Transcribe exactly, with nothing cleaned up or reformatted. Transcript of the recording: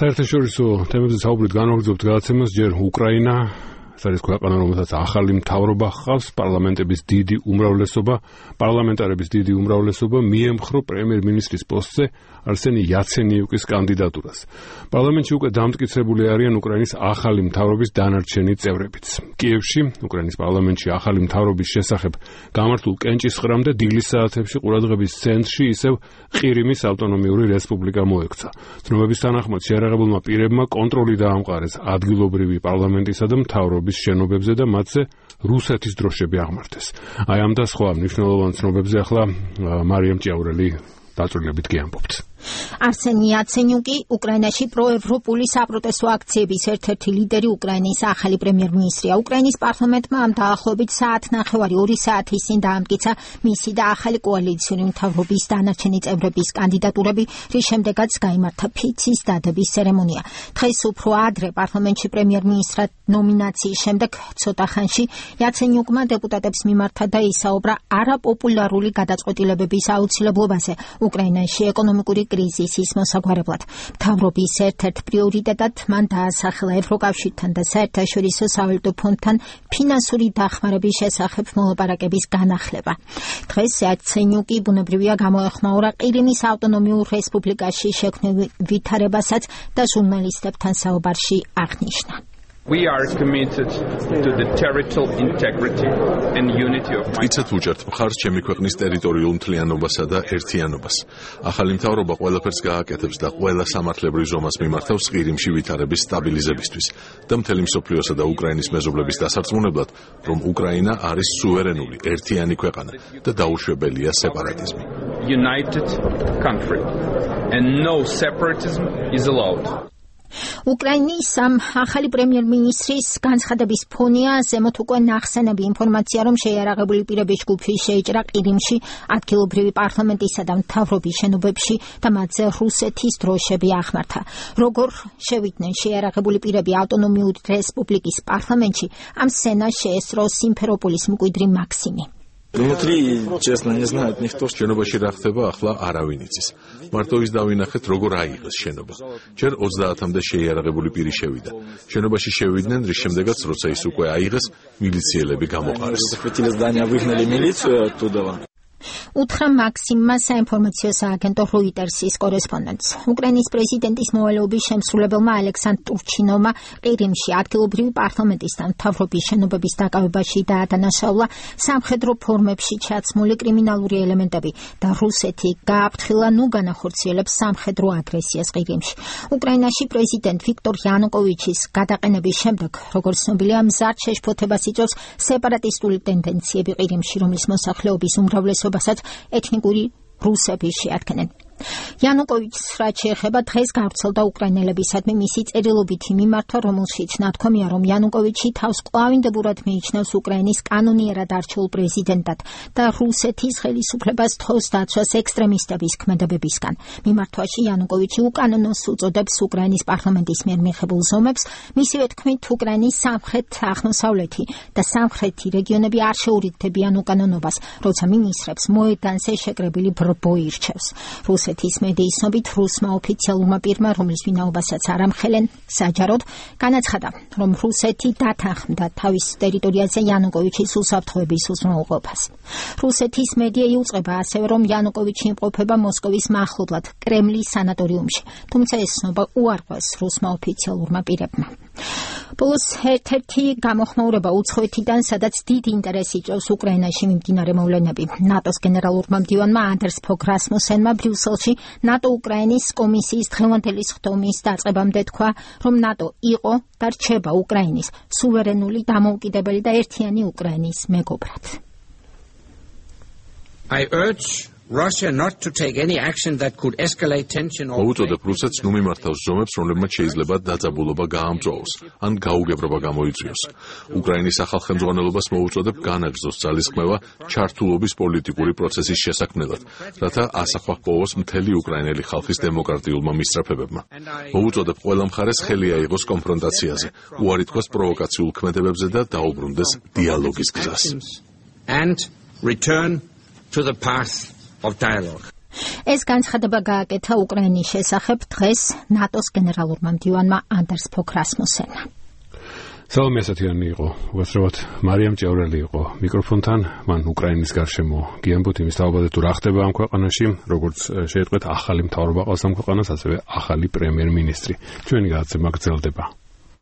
საერთაშორისო თემებზე საუბრით განვაგრძობთ გადაცემას ჯერ უკრაინა, ეს არის ქვეყანა, რომელსაც ახალი მთავრობა ჰყავს, პარლამენტების დიდი უმრავლესობა, პარლამენტარების დიდი უმრავლესობა მიემხრო პრემიერ-მინისტრის პოსტზე არსენი იაცენიუკის კანდიდატურას. პარლამენტში უკვე დამტკიცებული არიან უკრაინის ახალი მთავრობის დანარჩენი წევრებიც. კიევში, უკრაინის პარლამენტში ახალი მთავრობის შესახებ გამართულ კენჭისყრამდე დილის საათებში ყურადღების ცენტრში ისევ ყირიმის ავტონომიური რესპუბლიკა მოექცა. ცნობების თანახმად შეიარაღებულმა პირებმა კონტროლი დაამყარეს ადგილობრივი პარლამენტისა და მთავრობის შენობებზე და მათზე რუსეთის დროშები აღმართეს. აი ამ და სხვა მნიშვნელოვან ცნობებზე ახლა მარიამ ჭიაურელი დაწვრილებით გიამბობთ. არსენი იაცენიუკი უკრაინაში პროევროპული საპროტესტო აქციების ერთ-ერთი ლიდერი უკრაინის ახალი პრემიერ-მინისტრია. უკრაინის პარლამენტმა ამ დაახლოებით საათნახევარი ორი საათის წინ დაამტკიცა მისი და ახალი კოალიციური მთავრობის დანარჩენი წევრების კანდიდატურები, რის შემდეგაც გაიმართა ფიცის დადების ცერემონია. დღეს უფრო ადრე პარლამენტში პრემიერ-მინისტრად ნომინაციის შემდეგ ცოტა ხანში იაცენიუკმა დეპუტატებს მიმართა და ისაუბრა არაპოპულარული გადაწყვეტილებების აუცილებლობაზე უკრაინაში ეკონომიკური კრიზისის მოსაგვარებლად. მთავრობის ერთ-ერთ პრიორიტეტად მან დაასახელა ევროკავშირთან და საერთაშორისო სავალუტო ფონდთან ფინანსური დახმარების შესახებ მოლაპარაკების განახლება. დღეს იაცენიუკი ბუნებრივია გამოეხმაურა ყირიმის ავტონომიურ რესპუბლიკაში შექმნილ ვითარებასაც და ჟურნალისტებთან საუბარში აღნიშნა. We are committed to the territorial integrity and unity of my country. უჭერთ მხარს ჩემი ქვეყნის ტერიტორიულ მთლიანობასა და ერთიანობას. ახალი მთავრობა ყველაფერს გააკეთებს და ყველა სამართლებრივ ზომას მიმართავს ყირიმში ვითარების სტაბილიზებისთვის და მთელი მსოფლიოსა და უკრაინის მეზობლების დასარწმუნებლად, რომ უკრაინა არის სუვერენული, ერთიანი ქვეყანა და დაუშვებელია სეპარატიზმი. United country and no separatism is allowed. უკრაინის ამ ახალი პრემიერ-მინისტრის განცხადების ფონია ზემოთ უკვე ნახსენები ინფორმაცია, რომ შეიარაღებული პირების ჯგუფი შეიჭრა ყირიმში ადგილობრივი პარლამენტისა და მთავრობის შენობებში და მათზე რუსეთის დროშები აღმართა. Როგორ შევიდნენ შეიარაღებული პირები ავტონომიური რესპუბლიკის პარლამენტში, ამ სცენას შეესწრო სიმფეროპოლის მკვიდრი მაქსიმი. Внутри, честно, не знает никто. შენობაში რა ხდება, ახლა არავინ იცის. მარტო ის დავინახეთ, როგორ აიღეს შენობა. ჯერ ოცდაათამდე შეიარაღებული პირი შევიდა. შენობაში შევიდნენ, რის შემდეგაც, როცა ის უკვე აიღეს, მილიციელები გამოყარეს. Захватили здание, выгнали милицию оттуда. უთხრა მაქსიმმა საინფორმაციო სააგენტო როიტერსის კორესპონდენტს. უკრაინის პრეზიდენტის მოვალეობის შემსრულებელმა ალექსანდრ ტურჩინოვმა ყირიმში ადგილობრივი პარლამენტის და მთავრობის შენობების დაკავებაში დაადანაშაულა სამხედრო ფორმებში ჩაცმული კრიმინალური ელემენტები და რუსეთი გააფრთხილა ნუ განახორციელებს სამხედრო აგრესიას ყირიმში. უკრაინაში პრეზიდენტ ვიქტორ იანუკოვიჩის გადაყენების შემდეგ, როგორც ცნობილია, მზარდ შეშფოთებას იწვევს სეპარატისტული ტენდენციები ყირიმში, რომლის მოსახლეობის უმრავლესობა ეთნიკური რუსები შეადგენენ. იანუკოვიჩს რაც შეეხება დღეს გავრცელდა უკრაინელებისადმი მისი წერილობითი მიმართვა, რომელშიც ნათქვამია, რომ იანუკოვიჩი თავს კვლავინდებურად მიიჩნევს უკრაინის კანონიერად არჩეულ პრეზიდენტად და რუსეთის ხელისუფლებას თხოვს დაცვას ექსტრემისტების ქმედებებისგან. მიმართვაში იანუკოვიჩი უკანონოს უწოდებს უკრაინის პარლამენტის მიერ მიღებულ ზომებს, მისივე თქმით, უკრაინის სამხრეთ-აღმოსავლეთი და სამხრეთი რეგიონები არ შეურიგდებიან უკანონობას, როცა მინისტრებს მოედანზე შეკრებილი ბრბო ირჩევს. რუსეთის მედიის ცნობით, რუსმა ოფიციალურმა პირმა, რომლის ვინაობასაც არ ამხელენ, საჯაროდ განაცხადა, რომ რუსეთი დათანხმდა თავის ტერიტორიაზე იანუკოვიჩის უსაფრთხოების უზრუნველყოფას. რუსეთის მედია იუწყება ასევე, რომ იანუკოვიჩი იმყოფება მოსკოვის მახლობლად, კრემლის სანატორიუმში, თუმცა ეს ცნობა უარყვეს რუსმა ოფიციალურმა პირებმა. ბოლოს ერთ-ერთი გამოხმაურება უცხოეთიდან, სადაც დიდი ინტერესი იწვევს უკრაინაში მიმდინარე მოვლენები. ნატოს გენერალურმა მდივანმა ანდერს ფოგ რასმუსენმა ბრიუსელში ნატო უკრაინის კომისიის დღევანდელი ხდომის დაწყებამდე თქვა, რომ ნატო იყო და რჩება უკრაინის სუვერენული, დამოუკიდებელი და ერთიანი უკრაინის მეგობრად. I urge Russia not to take any action that could escalate tension or მოუწოდებ რუსეთს ნუ მიმართავს ზომებს, რომლებმაც შეიძლება დაძაბულობა გაამწვაოს ან გაუგებრობა გამოიწვიოს. უკრაინის ახალ ხელმძღვანელობას მოუწოდებ განაგრძოს ძალისხმევა ჩართულობის პოლიტიკური პროცესის შესაქმნელად, რათა ასახვა ჰპოვოს მთელი უკრაინელი ხალხის დემოკრატიულმა მისწრაფებებმა. მოუწოდებ ყველა მხარეს ხელი აიღოს კონფრონტაციაზე, უარი თქვას პროვოკაციულ ქმედებებზე და დაუბრუნდეს დიალოგის გზას. and return to the path of dialogue. ეს განცხადება გააკეთა უკრაინის შესახებ დღეს ნატოს გენერალურმა მდივანმა ანდერს ფოგ რასმუსენმა. სალომე ასათიანი იყო, უბრალოდ მარიამ ჭევრელი იყო მიკროფონთან, მან უკრაინის გარშემო გიამბოთ იმის თავაზე თუ რა ხდება ამ ქვეყანაში, როგორც შეიტყვეთ ახალი მთავრობა ყავს ამ ქვეყანას, ასევე ახალი პრემიერ-მინისტრი. ჩვენი გადაცემა გრძელდება.